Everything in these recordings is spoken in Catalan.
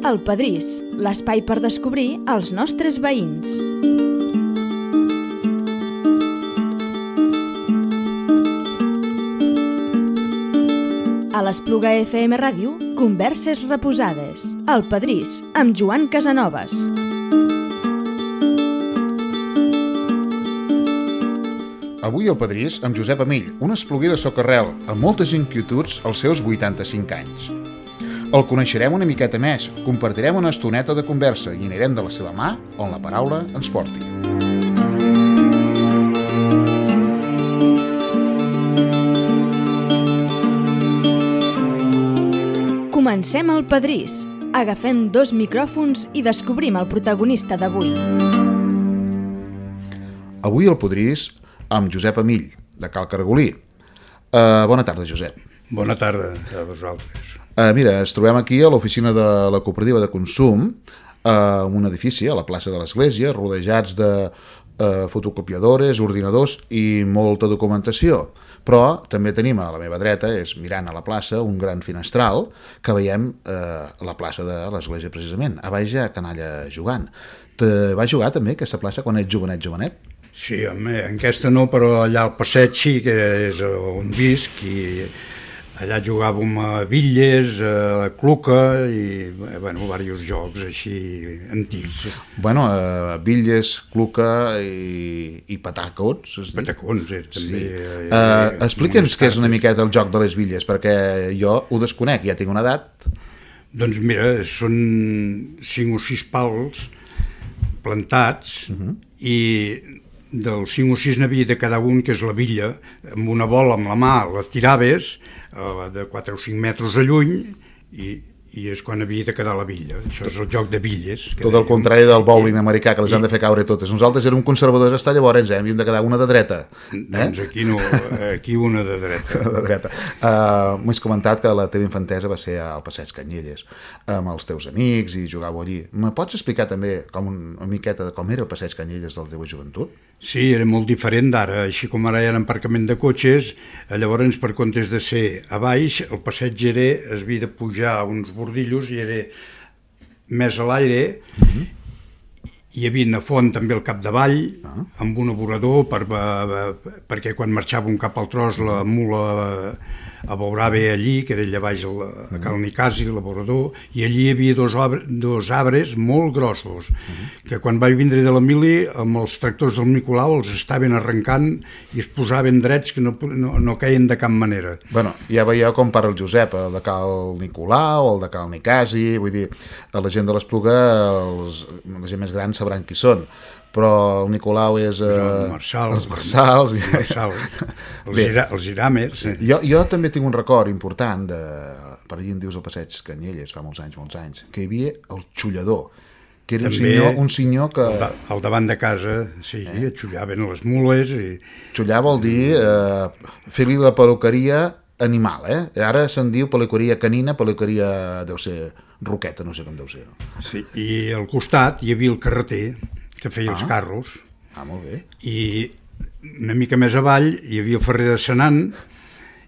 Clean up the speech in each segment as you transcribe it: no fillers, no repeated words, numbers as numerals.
El Pedrís, l'espai per descobrir els nostres veïns. A l'Espluga FM Ràdio, converses reposades. El Pedrís, amb Joan Casanovas. Avui al Pedrís amb Josep Amill, un espluguer de Socarrel, amb moltes inquietuds als seus 85 anys. El coneixerem una miqueta més, compartirem una estoneta de conversa i anirem de la seva mà on la paraula ens porti. Comencem el Pedrís. Agafem 2 micròfons i descobrim el protagonista d'avui. Avui al Pedrís amb Josep Amill, de Cal Cargolí. Bona tarda, Josep. Bona tarda a vosaltres. Mira, ens trobem aquí a l'oficina de la cooperativa de consum, en un edifici a la plaça de l'Església, rodejats de fotocopiadores, ordinadors i molta documentació. Però també tenim a la meva dreta, és mirant a la plaça, un gran finestral que veiem a la plaça de l'Església precisament. A baix a canalla jugant. Te vas jugar també a aquesta plaça quan ets jovenet? Sí, home, en aquesta no, però allà al passeig sí, que és on visc, i allà jugàvem a bitlles, a cluca i, bueno, diversos jocs així antics. Bueno, bitlles, cluca i patacons. Patacons, també. Sí. Explica'ns què és una miqueta el joc de les bitlles, perquè jo ho desconec, ja tinc una edat. Doncs mira, són 5 o 6 pals plantats i dels 5 o 6 n'havia de cada un, que és la bitlla, amb una bola amb la mà, les tiraves de 4 o 5 metres a lluny i és quan havia de quedar la bitlla. Això és el joc de bitlles. Tot el contrari del bowling americà, que les han de fer caure totes. Nosaltres érem conservadors hasta llavors, havíem de quedar una de dreta. Doncs aquí no, aquí una de dreta. Una de dreta. M'has comentat que la teva infantesa va ser al Passeig Canyelles, amb els teus amics i jugàveu allí. Me pots explicar també una miqueta de com era el Passeig Canyelles de la teva joventut? Sí, era molt diferent d'ara. Així com ara hi ha un aparcament de cotxes, llavors per comptes de ser a baix, el passeig es havia de pujar a uns bordillos i era més a l'aire. Hi havia una font també al capdavall, amb un aborador, perquè quan marxàvem cap al tros la mula aborava allí, que era allà baix a Cal Nicasi, l'aborador, i allí hi havia dos arbres molt grossos, que quan vaig vindre de la mili, amb els tractors del Nicolau els estaven arrencant i es posaven drets que no caien de cap manera. Bueno, ja veieu com parla el Josep, el de Cal Nicolau, el de Cal Nicasi, vull dir, la gent de l'Espluga, la gent més gran sabran qui són, però el Nicolau és... els Marçals... Els Irames... Jo també tinc un record important, per allà en dius el Passeig Canyelles, fa molts anys, que hi havia el xullador, que era un senyor que... Al davant de casa, sí, xullaven les mules i... Xullar vol dir fer-li la peluqueria animal, Ara se'n diu peluqueria canina, peluqueria deu ser roqueta, no sé com deu ser. Sí, i al costat hi havia el carreter, que feia els carros. Molt bé. I una mica més avall hi havia el ferrer de Senan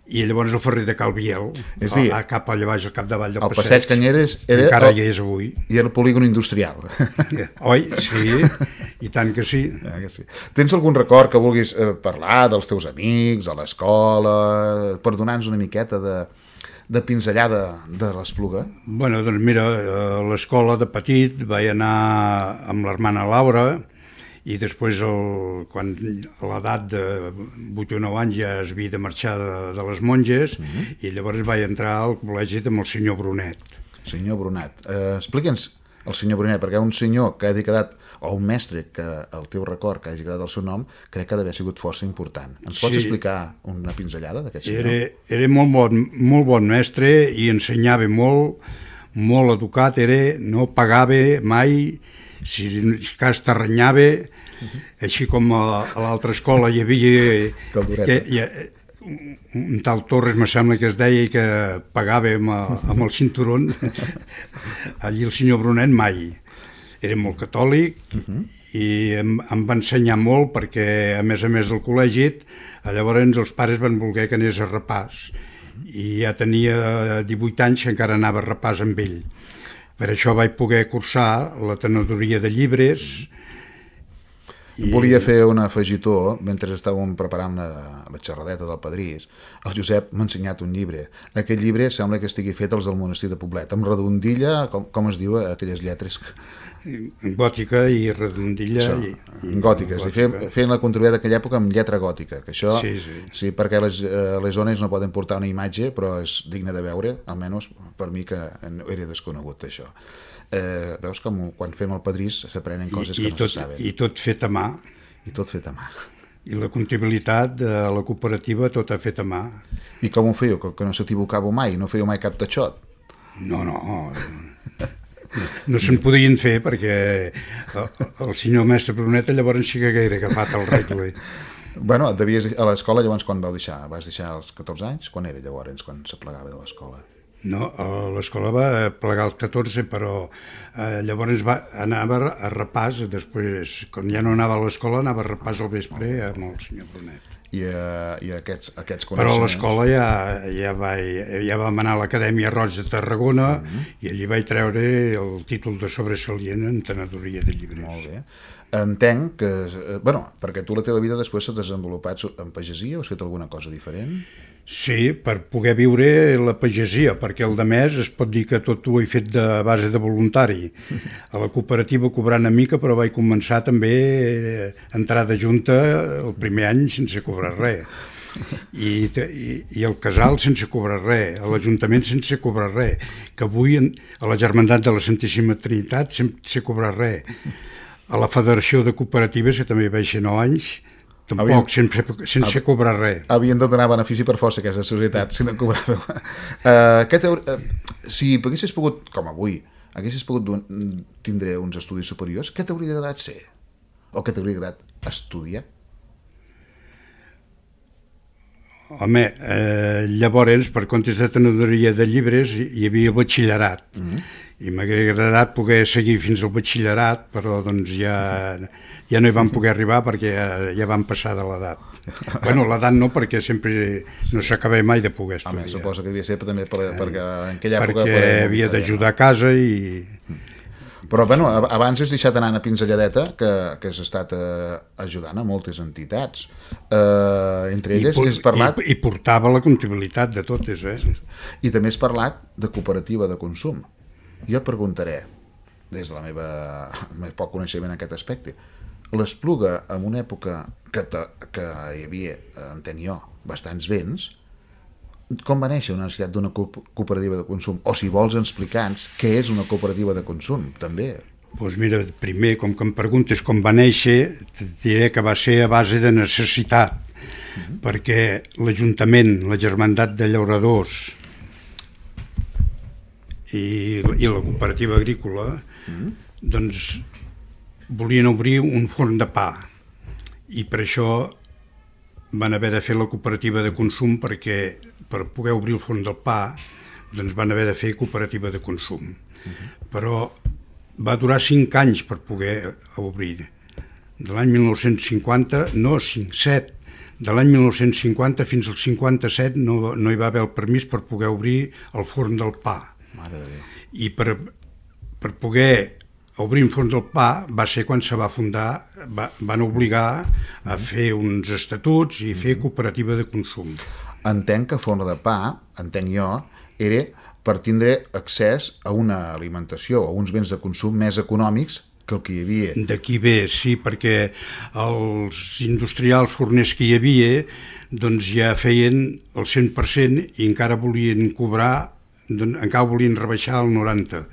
i llavors el ferrer de Cal Biel, cap allà baix al capdavall del passeig. El Passeig Canyelles encara hi és avui. I era el polígon industrial. Oi? Sí, i tant que sí. Tens algun record que vulguis parlar dels teus amics, a l'escola, per donar-nos una miqueta de pinzellada de l'Espluga? Bueno, doncs mira, a l'escola de petit vaig anar amb l'hermana Laura i després, quan a l'edat de 8 o 9 anys ja es havia de marxar de les monges i llavors vaig entrar al col·legi amb el senyor Brunet. Senyor Brunet. Explica'ns el senyor Brunet, perquè un senyor que hagi quedat, o un mestre que el teu record que hagi quedat el seu nom, crec que ha d'haver sigut força important. Ens pots explicar una pinzellada d'aquest senyor? Era molt bon mestre i ensenyava molt educat, no pagava mai, si cas t'arrenyava, així com a l'altra escola hi havia un tal Torres, me sembla que es deia, que pagava amb el cinturón. Allí el senyor Brunet mai. Era molt catòlic i em va ensenyar molt perquè, a més del col·legi, llavors els pares van voler que anés a repàs i ja tenia 18 anys que encara anava a repàs amb ell. Per això vaig poder cursar la tenedoria de llibres. Volia fer un afegitó, mentre estàvem preparant la xerradeta del Padrís, el Josep m'ha ensenyat un llibre. Aquest llibre sembla que estigui fet als del monestir de Poblet, amb redondilla, com es diu aquelles lletres? Gòtica i redondilla. En gòtiques, feien la contribució d'aquella època amb lletra gòtica, que això, sí, perquè les zones no poden portar una imatge, però és digne de veure, almenys per mi que era desconegut això. Veus com quan fem el Padrís s'aprenen coses que no se saben. I tot fet a mà. I tot fet a mà. I la comptabilitat de la cooperativa tota feta a mà. I com ho fèieu? Que no s'equivocàveu mai? No fèieu mai cap tatxot? No. No se'n podien fer perquè el senyor mestre Bruneta llavors sí que gaire agafat el regle. Bueno, a l'escola llavors quan vau deixar? Vas deixar als 14 anys? Quan era llavors, quan se plegava de l'escola? No, l'escola va plegar als 14, però llavors anava a repàs, després, quan ja no anava a l'escola, anava a repàs al vespre amb el senyor Brunet. I aquests coneixements... Però a l'escola ja vam anar a l'Acadèmia Roig de Tarragona i allí vaig treure el títol de sobresalient en tenedoria de llibres. Molt bé. Entenc que... perquè tu la teva vida després s'ha desenvolupat en pagesia o has fet alguna cosa diferent? Sí, per poder viure la pagesia, perquè el de més es pot dir que tot ho he fet de base de voluntari. A la cooperativa cobrant a mica, però vaig començar també a entrar de junta el primer any sense cobrar res. I el casal sense cobrar res, a l'Ajuntament sense cobrar res, que avui a la Germandat de la Santíssima Trinitat sense cobrar res. A la Federació de Cooperatives, que també vaig ser 9 anys, tampoc, sense cobrar res. Havien de donar benefici per força a aquesta societat, si no cobràveu. Si haguessis pogut, com avui, haguessis pogut tindre uns estudis superiors, què t'hauria agradat ser? O què t'hauria agradat estudiar? Home, llavors, per comptes de tenedoria de llibres, hi havia batxillerat. I m'hauria agradat poder seguir fins al batxillerat, però doncs ja no hi vam poder arribar perquè ja vam passar de l'edat. Bueno, l'edat no, perquè sempre no s'acaba mai de poder estudiar. Home, suposo que devia ser també perquè en aquella època... Perquè havia d'ajudar a casa i... Però, bueno, abans has deixat anar una pinzelladeta que has estat ajudant a moltes entitats. Entre elles has parlat... I portava la comptabilitat de totes, I també has parlat de cooperativa de consum. Jo et preguntaré, des de el meu poc coneixement en aquest aspecte, l'Espluga, en una època que hi havia, entenc jo, bastants béns, com va néixer una necessitat d'una cooperativa de consum? O si vols explicar-nos què és una cooperativa de consum, també. Doncs mira, primer, com que em preguntes com va néixer, et diré que va ser a base de necessitat, perquè l'Ajuntament, la Germandat de Llauradors i la cooperativa agrícola, doncs volien obrir un forn de pa i per això van haver de fer la cooperativa de consum perquè per poder obrir el forn del pa doncs van haver de fer cooperativa de consum. Però va durar 5 anys per poder obrir. De l'any 1950, no 7, de l'any 1950 fins al 57 no hi va haver el permís per poder obrir el forn del pa. Mare de Déu. I per poder obrir un forn del pa va ser quan se va fundar, van obligar a fer uns estatuts i fer cooperativa de consum. Entenc que forn de pa, entenc jo, era per tindre accés a una alimentació, a uns béns de consum més econòmics que el que hi havia. D'aquí ve, sí, perquè els industrials forners que hi havia doncs ja feien el 100% i encara volien cobrar, encara volien rebaixar el 90%.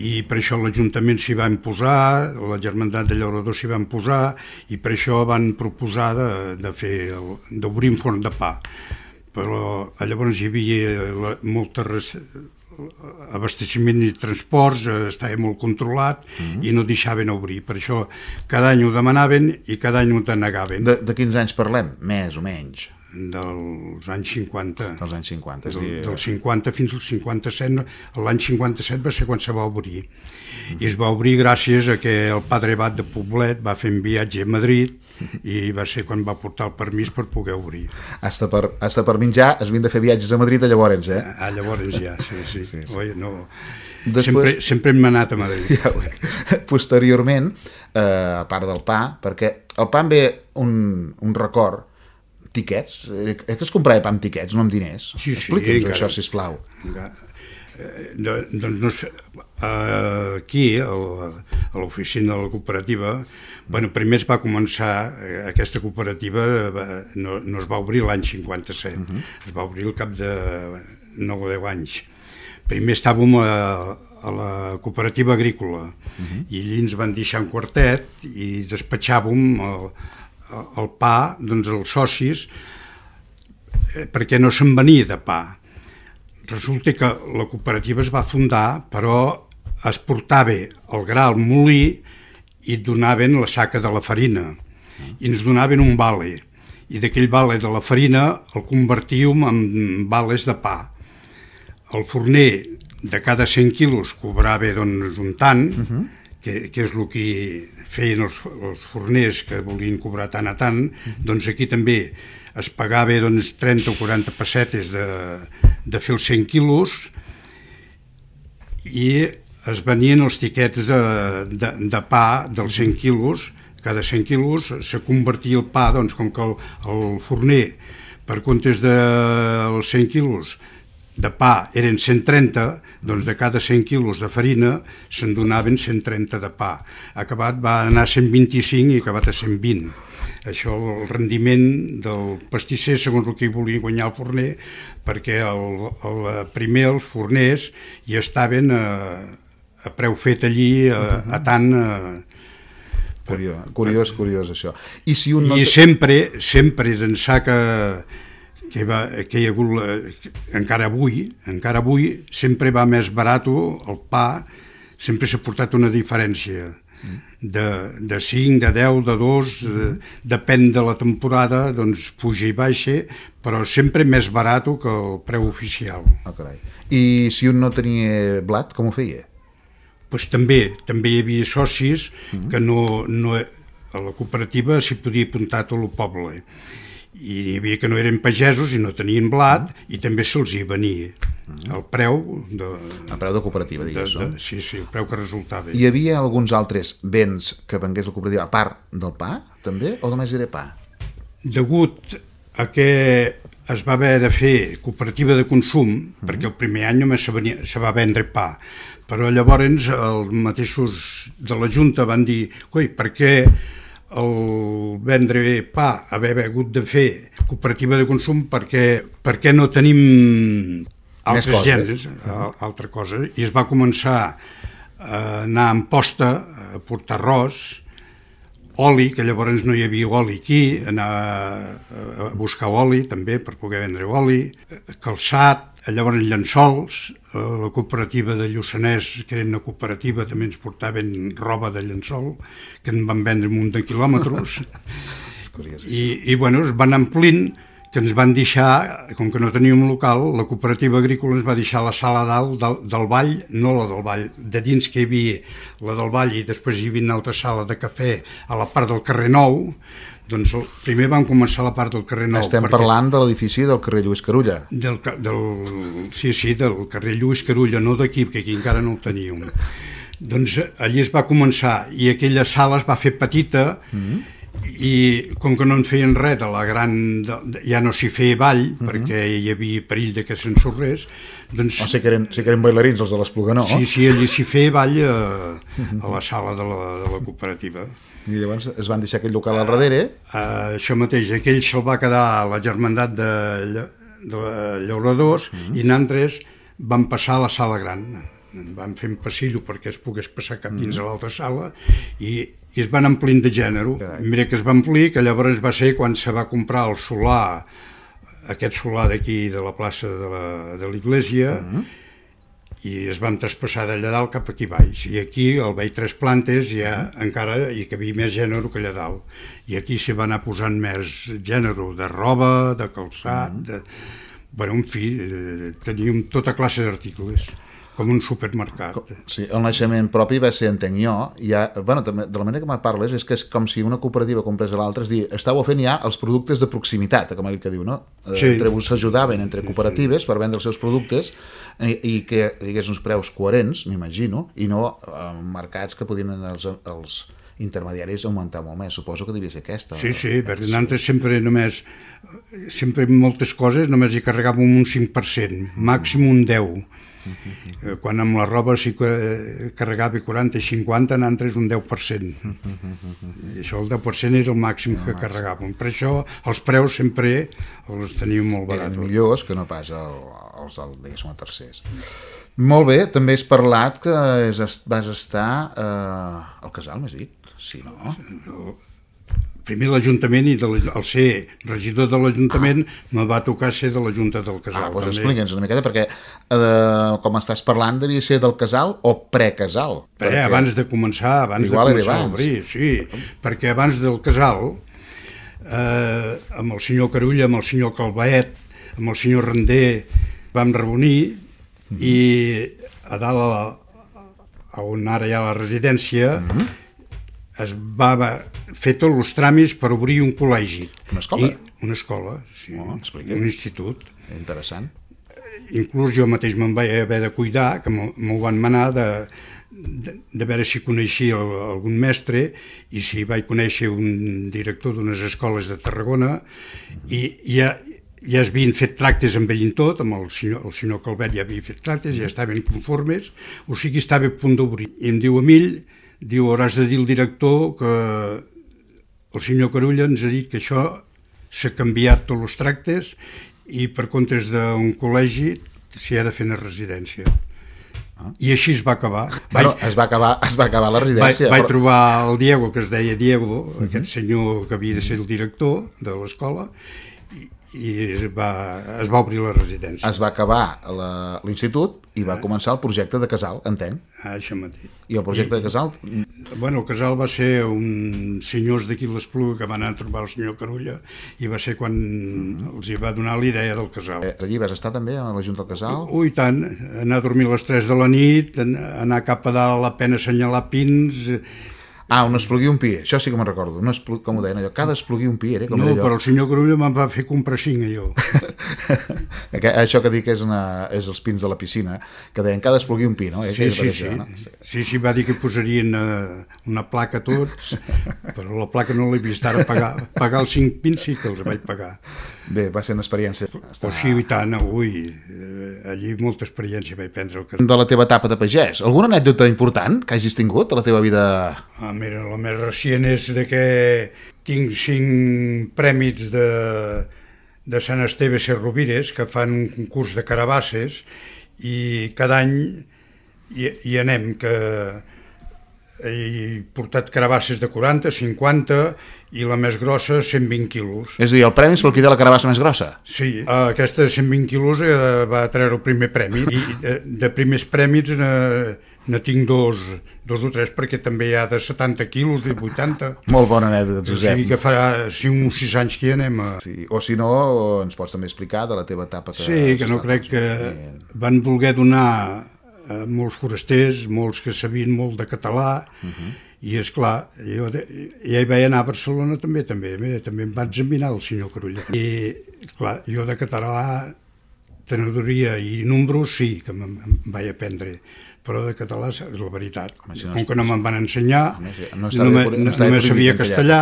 I per això l'Ajuntament s'hi va imposar, la Germandat de Llauradors s'hi va imposar i per això van proposar d'obrir un forn de pa. Però llavors hi havia molt abasteciment i transports, estava molt controlat i no deixaven obrir. Per això cada any ho demanaven i cada any ho denegaven. De quins anys parlem? Més o menys? dels anys 50. Dels anys 50. Del 50 fins al 57, l'any 57 va ser quan se va obrir. I es va obrir gràcies a que el padre Abat de Poblet va fer un viatge a Madrid i va ser quan va portar el permís per poder obrir. Hasta per menjar es havien de fer viatges a Madrid llavors, eh? Llavors ja, sí. Oi, no... Després... Sempre hem anat a Madrid. Ja, posteriorment, a part del pa, perquè el pa en ve un record, tiquets, que es comprava pa amb tiquets, no amb diners. Sí, expliqui'ns això, sisplau. Doncs no sé, aquí, a l'oficina de la cooperativa, primer es va començar, aquesta cooperativa no es va obrir l'any 57, es va obrir al cap de 9 o 10 anys. Primer estàvem a la cooperativa agrícola i allí ens van deixar un quartet i despatxàvem el pa als socis perquè no se'n venia de pa. Resulta que la cooperativa es va fundar, però es portava el gra al molí i et donaven la saca de la farina i ens donaven un vale i d'aquell vale de la farina el convertíem en vales de pa. El forner de cada 100 quilos cobrava un tant, que és el que feien els forners que volien cobrar tant a tant, doncs aquí també es pagava 30 o 40 pessetes de fer els 100 quilos i es venien els tiquets de pa dels 100 quilos, cada 100 quilos se convertia el pa, doncs com que el forner per comptes dels 100 quilos de pa eren 130, doncs de cada 100 quilos de farina se'n donaven 130 de pa. Acabat va anar a 125 i acabat a 120. Això, el rendiment del pastisser, segons el que volia guanyar el forner, perquè primer els forners hi estaven a preu fet allí, a tant... Curiós, això. I sempre d'ençà que hi ha hagut, encara avui, sempre va més barat el pa, sempre s'ha portat una diferència de 5, de 10, de 2, depèn de la temporada, doncs puja i baixa, però sempre més barat que el preu oficial. I si un no tenia blat, com ho feia? Doncs també hi havia socis que a la cooperativa s'hi podia apuntar tot el poble. I hi havia que no eren pagesos i no tenien blat i també se'ls hi venia el preu de cooperativa, digues. Sí, el preu que resultava. Hi havia alguns altres béns que vengués la cooperativa, a part del pa, també, o només era pa? Degut a que es va haver de fer cooperativa de consum, perquè el primer any només se va vendre pa, però llavors els mateixos de la Junta van dir, coi, per què el vendre pa, haver hagut de fer cooperativa de consum, perquè no tenim altres gèneres, altra cosa, i es va començar a anar a Amposta a portar arròs, oli, que llavors no hi havia oli aquí, anar a buscar oli també per poder vendre oli, calçat, llavors llençols, la cooperativa de Lluçanès, que era una cooperativa, també ens portaven roba de llençol, que en van vendre un munt de quilòmetres. I bueno, es van omplint, que ens van deixar, com que no teníem local, la cooperativa agrícola ens va deixar la sala dalt del Vall, no la del Vall, de dins que hi havia la del Vall i després hi havia una altra sala de cafè a la part del carrer Nou. Doncs primer vam començar la part del carrer Nou. Estem parlant de l'edifici del carrer Lluís Carulla. Sí, del carrer Lluís Carulla, no d'aquí, perquè aquí encara no el teníem. Doncs allí es va començar i aquella sala es va fer petita i com que no en feien res de la gran... ja no s'hi feia ball perquè hi havia perill de que s'ensorrés. O sigui que eren bailarins els de l'Espluga, no? Sí, allí s'hi feia ball a la sala de la cooperativa. I llavors es van deixar aquell local al darrere. Això mateix, aquell se'l va quedar la germandat de llauradors i nosaltres vam passar a la sala gran. Vam fer un passillo perquè es pogués passar cap dins a l'altra sala i es van omplint de gènere. Mira que es va omplir, que llavors va ser quan se va comprar el solar, aquest solar d'aquí de la plaça de l'església, i es van traspassar d'allà dalt cap aquí baix, i aquí al veig 3 plantes ja encara hi cabia més gènere que allà dalt, i aquí s'hi va anar posant més gènere de roba, de calçat, bueno, en fi, teníem tota classe d'articles, com un supermercat. Sí, el naixement propi va ser, entenc jo, bueno, també, de la manera que me parles és que és com si una cooperativa comprés a l'altra, és dir, estàveu fent ja els productes de proximitat, com aquell que diu, no? Sí. Entre vos s'ajudaven entre cooperatives per vendre els seus productes i que hi hagués uns preus coherents, m'imagino, i no mercats que podien els intermediaris augmentar molt més. Suposo que devia ser aquesta. Sí, perquè nosaltres sempre moltes coses només hi carregàvem un 5%, màxim un 10%. Quan amb la roba sí que carregava 40 i 50, nosaltres un 10%. I això el 10% és el màxim que carregàvem. Per això els preus sempre els teníem molt barats. Eren millors que no pas els tercers. Molt bé, també has parlat que vas estar al casal, m'has dit? Sí, no? Primer l'Ajuntament, i al ser regidor de l'Ajuntament me va tocar ser de la Junta del Casal. Doncs explica'ns una miqueta, perquè com estàs parlant devia ser del casal o pre-casal. Abans de començar a obrir, sí, perquè abans del casal, amb el senyor Carulla, amb el senyor Calvaet, amb el senyor Render, vam reunir i a dalt, on ara hi ha la residència, es va fer tots els tràmits per obrir un col·legi. Una escola? Una escola, sí. Un institut. Interessant. Inclús jo mateix me'n vaig haver de cuidar, que m'ho van manar de veure si coneixia algun mestre, i si vaig conèixer un director d'unes escoles de Tarragona, i ja es havien fet tractes amb ell tot, amb el senyor Calvet ja havia fet tractes, ja estaven conformes, o sigui, estava a punt d'obrir. I em diu a mi, hauràs de dir al director que el senyor Carulla ens ha dit que això s'ha canviat tots els tractes i per comptes d'un col·legi s'hi ha de fer una residència. I així es va acabar. Bueno, es va acabar la residència. Vaig trobar el Diego, que es deia Diego, aquest senyor que havia de ser el director de l'escola, i es va obrir la residència. Es va acabar l'institut i va començar el projecte de casal, entenc. Això mateix. I el projecte de casal? Bueno, el casal va ser uns senyors d'aquí a l'Espluga que van anar a trobar el senyor Carulla, i va ser quan els hi va donar la idea del casal. Allí vas estar també a la Junta del Casal? Ui, tant. Anar a dormir a les 3 de la nit, anar cap a dalt a pena assenyalar pins. Un esplugui un pi, això sí que me'n recordo, com ho deien allò, cada esplugui un pi, com no, però el senyor Carulla me'n va fer comprar 5 allò. Això que dic és els pins de la piscina, que deien cada esplugui un pi, no? Sí, va dir que posarien una placa a tots, però la placa no l'he vist ara pagar els 5 pins, sí que els vaig pagar. Bé, va ser una experiència. Sí, i tant, allí molta experiència vaig prendre. De la teva etapa de pagès, alguna anècdota important que hagis tingut a la teva vida? Mira, la més recent és que tinc 5 prèmits de Sant Esteve Serrovires, que fan un concurs de carabasses, i cada any hi anem, que he portat carabasses de 40, 50, i la més grossa 120 quilos. És a dir, el premi és pel qui té la carabassa més grossa? Sí, aquesta de 120 quilos va treure el primer premi, i de primers prèmits ne tinc dos o tres, perquè també hi ha de 70 quilos, de 80. Molt bona anècdota, Josep. O sigui que farà uns 6 anys que hi anem. Sí. O si no, ens pots també explicar de la teva etapa. Sí, que no crec que van voler donar molts forasters, molts que sabien molt de català, i esclar, jo ja hi vaig anar a Barcelona també em vaig examinar el senyor Carulla. I clar, jo de català, tenedoria i números sí que me'n vaig aprendre, però de català és la veritat. Com que no me'n van ensenyar, només sabia castellà,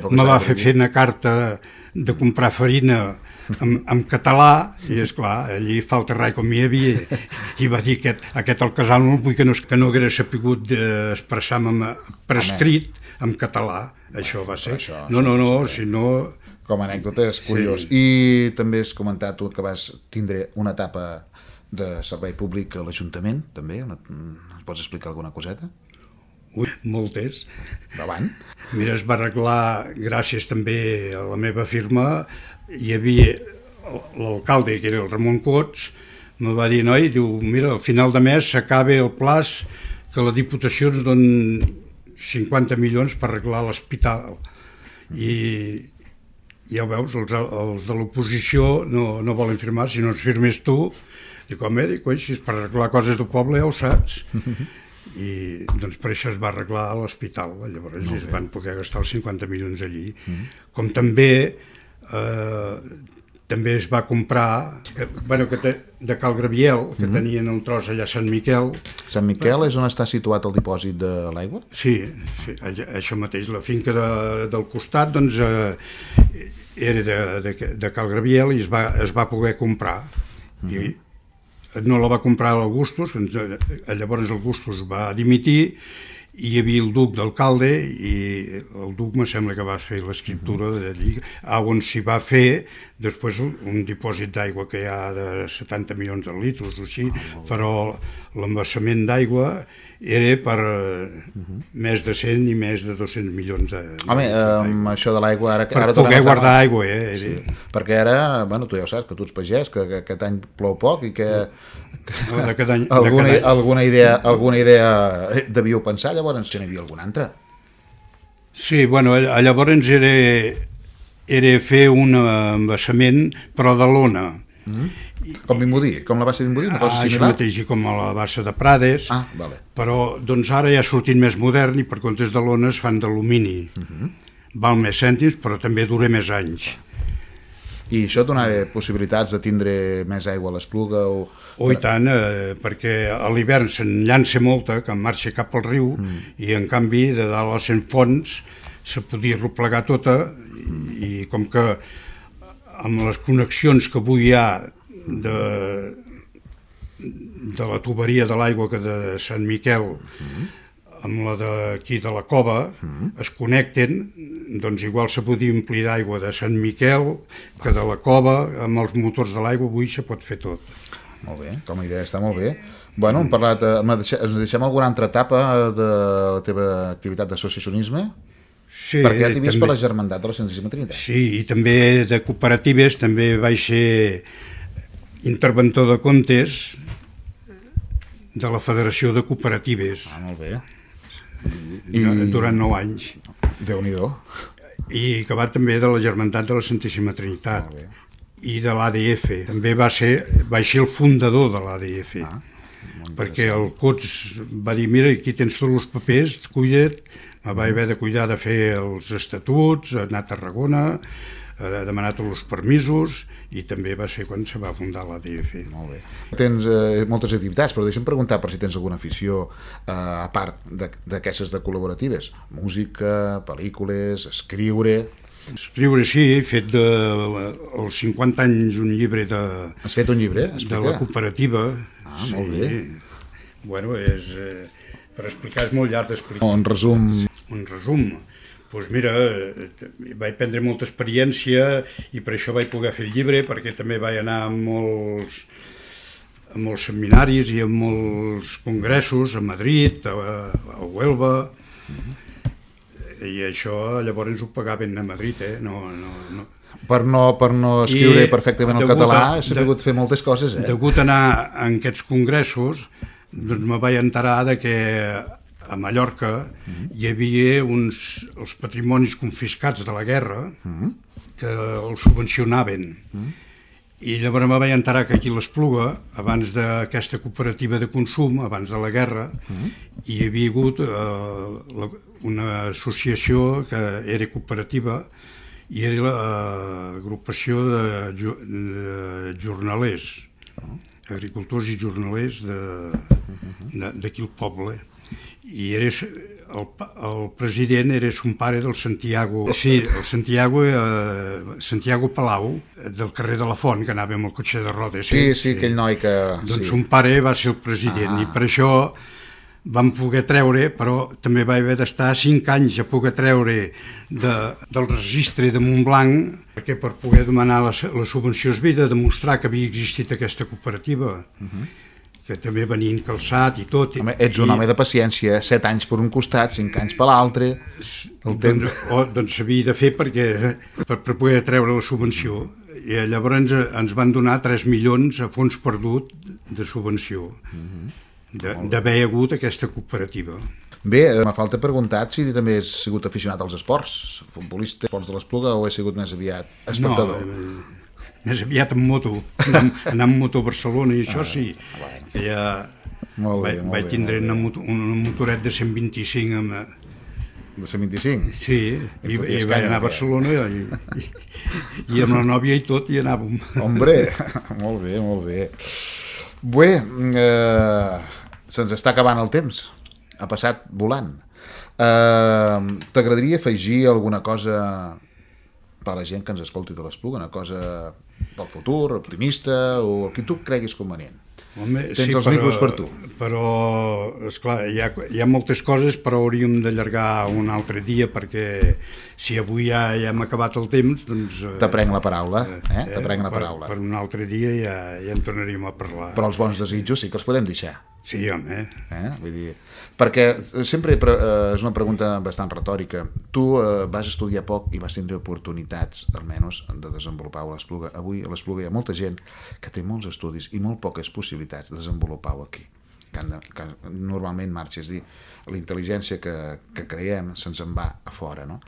me va fer una carta de comprar farina en català, i esclar, allí falta rai com hi havia, i va dir que aquest al casal no vull que no hagués sapigut expressar-me per escrit en català. Això va ser. No, si no... Com a anècdota és curiós. I també has comentat tu que vas tindre una etapa de servei públic a l'Ajuntament, també. Ens pots explicar alguna coseta? Ui, moltes. Davant. Mira, es va arreglar, gràcies també a la meva firma, hi havia l'alcalde, que era el Ramon Cots, me va dir, noi, diu, mira, al final de mes s'acaba el plaç que la Diputació ens dona 50 milions per arreglar l'hospital. I ja ho veus, els de l'oposició no volen firmar, si no ens firmes tu, dic, home, si és per arreglar coses del poble ja ho saps. I doncs per això es va arreglar l'hospital, llavors es van poder gastar els 50 milions allí. Com també es va comprar de Cal Graviel, que tenien un tros allà a Sant Miquel. Sant Miquel és on està situat el dipòsit de l'aigua? Sí, això mateix, la finca del costat doncs era de Cal Graviel i es va poder comprar. I no la va comprar l'Augustus, llavors l'Augustus va dimitir i hi havia el duc d'alcalde i el duc me sembla que va fer l'escriptura d'allí, on s'hi va fer després un dipòsit d'aigua que hi ha de 70 milions de litres o així, però l'embassament d'aigua era per més de 100 i més de 200 milions de... Home, amb això de l'aigua... Per poder guardar aigua, Sí, perquè ara, bueno, tu ja ho saps, que tu ets pagès, que aquest any plou poc i que... Alguna idea devíeu pensar, llavors, si n'hi havia alguna altra? Sí, bueno, llavors era fer un embassament, però de lona. Com Vimbodí, com la bassa de Vimbodí, una cosa similar? Això mateix, i com a la bassa de Prades, vale. Però doncs ara ja ha sortit més modern i per comptes de lona es fan d'alumini. Val més cèntims, però també dura més anys. I això donava possibilitats de tindre més aigua a l'Espluga? I tant, perquè a l'hivern se'n llança molta, que en marxa cap al riu, i en canvi de dalt a 100 fonts se podia replegar tota, i com que amb les connexions que avui hi ha de la tuberia de l'aigua que de Sant Miquel amb la d'aquí de la Cova es connecten, doncs igual se podia omplir d'aigua de Sant Miquel que de la Cova, amb els motors de l'aigua avui se pot fer tot. Molt bé, com a idea està molt bé. Bueno, hem parlat, ens deixem alguna altra etapa de la teva activitat d'associacionisme? Sí, perquè ja t'he vist per la Germandat de la Santíssima Trinitat. Sí, i també de cooperatives, també vaig ser interventor de comptes de la Federació de Cooperatives. Molt bé. Durant 9 anys. Déu-n'hi-do. I acabat també de la Germandat de la Santíssima Trinitat. I de l'ADF. També vaig ser el fundador de l'ADF. Perquè el Cots va dir, mira, aquí tens tots els papers, cuida't. Me vaig haver de cuidar de fer els estatuts, anar a Tarragona, demanar tots els permisos, i també va ser quan se va fundar l'ADF. Molt bé. Tens moltes activitats, però deixa'm preguntar per si tens alguna afició a part d'aquestes de col·laboratives. Música, pel·lícules, escriure... Escriure, sí, he fet als 50 anys un llibre de... Has fet un llibre? De la cooperativa. Molt bé. Bueno, per explicar és molt llarg d'explicar. Un resum. Un resum. Doncs mira, vaig prendre molta experiència i per això vaig poder fer el llibre, perquè també vaig anar a molts seminaris i a molts congressos, a Madrid, a Huelva, i això llavors ho pagaven a Madrid, Per no escriure perfectament el català, he sabut fer moltes coses, Degut a anar a aquests congressos, doncs me vaig enterar que a Mallorca hi havia els patrimonis confiscats de la guerra que els subvencionaven. I llavors me vaig enterar que aquí a l'Espluga, abans d'aquesta cooperativa de consum, abans de la guerra, hi havia hagut una associació que era cooperativa i era l'agrupació de jornalers, agricultors i jornalers d'aquí al poble. I el president era son pare del Santiago, el Santiago Palau, del carrer de la Font, que anava amb el cotxe de rodes. Sí, aquell noi que... Doncs son pare va ser el president i per això vam poder treure, però també va haver d'estar 5 anys a poder treure del registre de Montblanc, perquè per poder demanar la subvenció es havia de demostrar que havia existit aquesta cooperativa, que també venien calçat i tot. Home, ets un home de paciència, 7 anys per un costat, 5 anys per l'altre. Doncs s'havia de fer perquè per poder treure la subvenció I llavors ens van donar 3 milions a fons perdut de subvenció, d'haver hagut aquesta cooperativa. Bé, m'ha falta preguntar si també has sigut aficionat als esports, futbolista, esports de l'Espluga, o has sigut més aviat espectador? No, més aviat en moto, anar amb moto a Barcelona, i això sí. Vaig tindre un motoret de 125 amb... De 125? Sí, i vaig anar a Barcelona i amb la nòvia i tot hi anàvem. Hombre, molt bé, molt bé. Bé, se'ns està acabant el temps. Ha passat volant. T'agradaria afegir alguna cosa per a la gent que ens escolti de l'Espluga, una cosa pel futur, optimista, o el que tu creguis convenient? Home, tens els micros per tu. Però, esclar, hi ha moltes coses, però hauríem d'allargar un altre dia, perquè si avui ja hem acabat el temps, doncs... T'aprenc la paraula, t'aprenc la paraula. Per un altre dia ja en tornaríem a parlar. Però els bons desitjos sí que els podem deixar. Sí, home. Vull dir, perquè sempre és una pregunta bastant retòrica. Tu vas estudiar poc i vas tindre oportunitats, almenys, de desenvolupar l'Espluga. Avui a l'Espluga hi ha molta gent que té molts estudis i molt poques possibilitats de desenvolupar-ho aquí. Que normalment marxa, és dir, la intel·ligència que creiem se'ns en va a fora, no?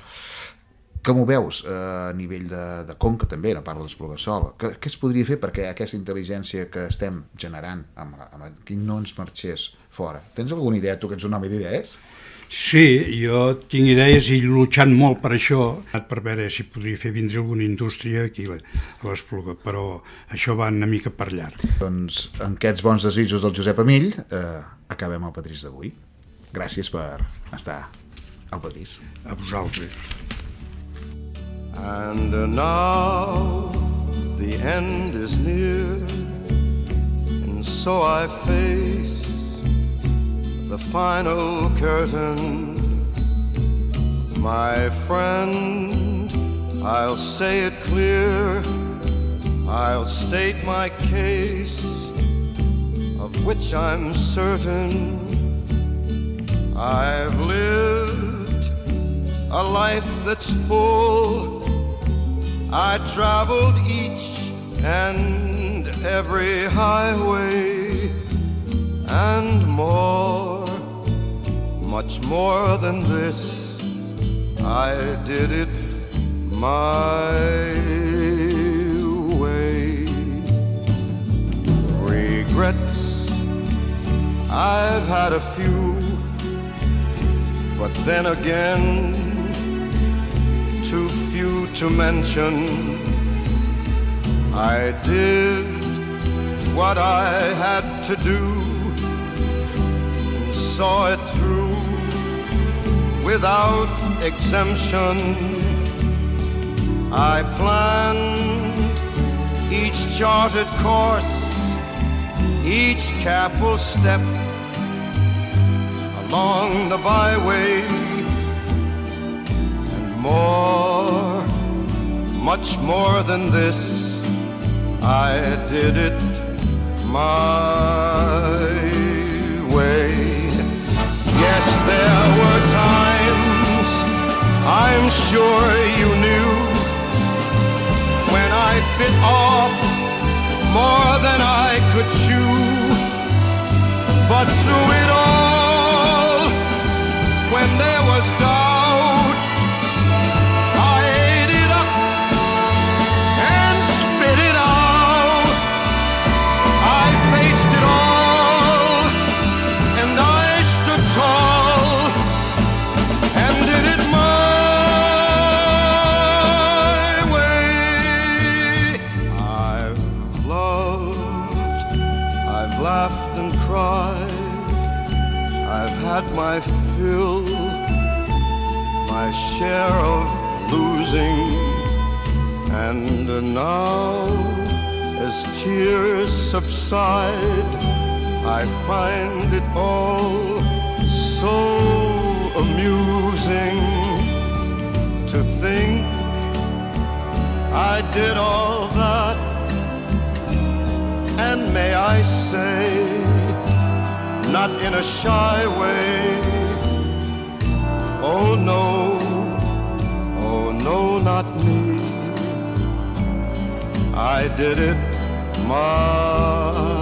Com ho veus a nivell de Conca també, no parlo d'Espluga sol? Què es podria fer perquè aquesta intel·ligència que estem generant aquí no ens marxés fora? Tens alguna idea, tu que ets un home d'idees? Sí, jo tinc idees i lluitant molt per això, per veure si podria fer vindre alguna indústria aquí a l'Espluga, però això va una mica per llarg. Doncs amb aquests bons desitjos del Josep Amill acabem el Padrís d'avui. Gràcies per estar al Padrís. A vosaltres. And now the end is near, and so I face the final curtain. My friend, I'll say it clear, I'll state my case, of which I'm certain. I've lived a life that's full. I traveled each and every highway and more, much more than this. I did it my way. Regrets, I've had a few, but then again, too few to mention. I did what I had to do, and saw it through without exemption. I planned each charted course, each careful step along the byway. More, much more than this, I did it my way. Yes, there were times, I'm sure you knew, when I bit off more than I could chew. But through it all, when there was doubt, had my fill, my share of losing, and now as tears subside, I find it all so amusing to think I did all that, and may I say, not in a shy way, oh no, not me. I did it my